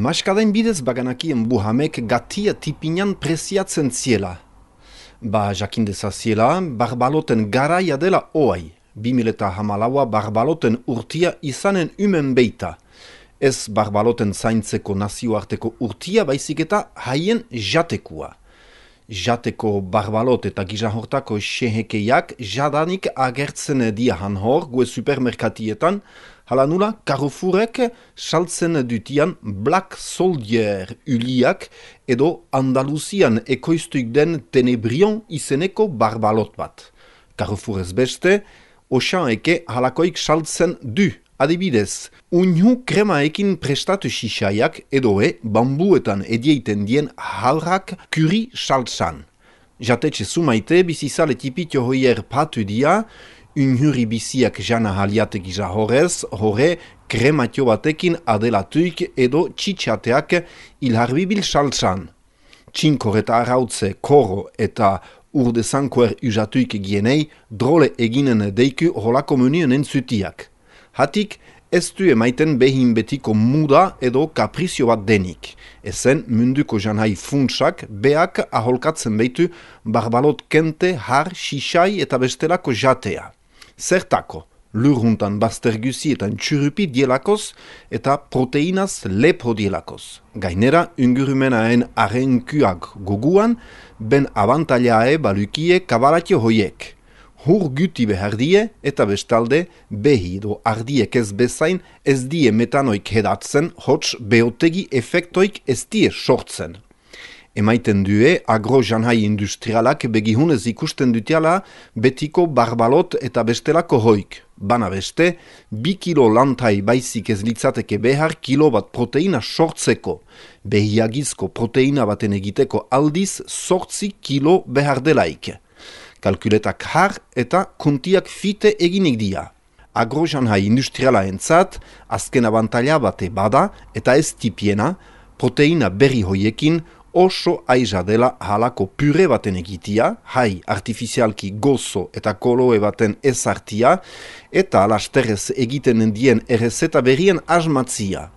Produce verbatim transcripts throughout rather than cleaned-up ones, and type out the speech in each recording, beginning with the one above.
Maskadain bidez baganakien buhamek gatia tipinan preziatzen ziela. Ba jakindezaziela, barbaloten garaia dela oai. bi mila hamalaua barbaloten urtia izanen umen beita. Ez barbaloten zaintzeko nazioarteko urtia baizik eta haien jatekua. Jateko barbalot eta gizahortako xehekeiak jadanik agertzen diahan hor gue supermerkatietan, hala nula Carrefourek saltzen dutian Black Soldier uliak edo Andaluzian ekoiztuik den Tenebrion izeneko barbalot bat. Carrefourez beste, Auchaneke halakoik saltzen du. Adibidez, uinu kremaekin prestatu xixaiak edoe bambuetan edieiten dien halrak kuri saltsan. Jatetxe sumaite bizizale tipitio hoier patu dia, unhuri biziak jana haliatek izahorez, hore krematio batekin adelatuik edo txitxateak ilharbibil saltsan. Txinkor eta arautze koro eta urde zankoer usatuik gienei drole eginen deiku holako menuen entzutiak. Hatik, ez du emaiten behin betiko muda edo kaprizio bat denik. Ezen munduko janai funtsak beak aholkatzen behitu barbalot kente, har, xixai eta bestelako jatea. Zertako, lurhuntan bazterguzietan txurupi dielakoz eta proteinaz lepro dielakoz. Gainera, ungurumenaen arrenkuak goguan, ben abantailae balukie kabalatio hoiek. Hur guti behar die eta bestalde behi do ardiek ez bezain ez die metanoik hedatzen, hots beotegi efektoik ez die sortzen. Emaiten due agro-janhai industrialak begihunez ikusten dutiala betiko barbalot eta bestelako hoik. Bana beste, bi kilo lantai baizik ez litzateke behar kilo bat proteina sortzeko. Behiagizko proteina baten egiteko aldiz sortzi kilo behar delaik. Kalkuletak har eta kontiak fite eginik dia. Agrojanhai industriala entzat, azken abantaila bate bada eta ez tipiena, proteina berri hoiekin oso aiza dela halako pure baten egitia, hai artifizialki gozo eta koloe baten ezartia, eta alasterrez egiten dien errezeta berrien asmatzia.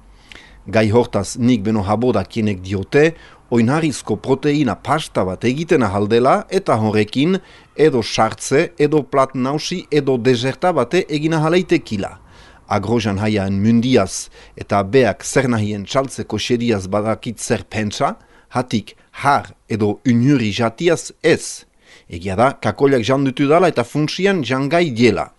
Gai hortaz nik beno habodakienek diote, oinarrizko proteina pasta bat egiten ahaldela eta horrekin edo sartze, edo plat nausi, edo deserta bate egina ahaleitekila. Agrojan haiaen mundiaz eta beak zer nahien txaltzeko xediaz badakit zer pentsa, hatik har edo unhuri jatiaz ez. Egia da, kakoliak jandutu dala eta funtsian jangai diela.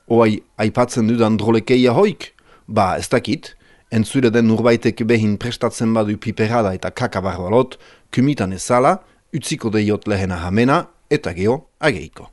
Oai, aipatzen dudan drolekeia hoik? Ba, ez dakit. Entzure den urbaitek behin prestatzen badu piperada eta kakabarbalot, kumitan ezala, utziko deiot lehena hamena, eta geho ageiko.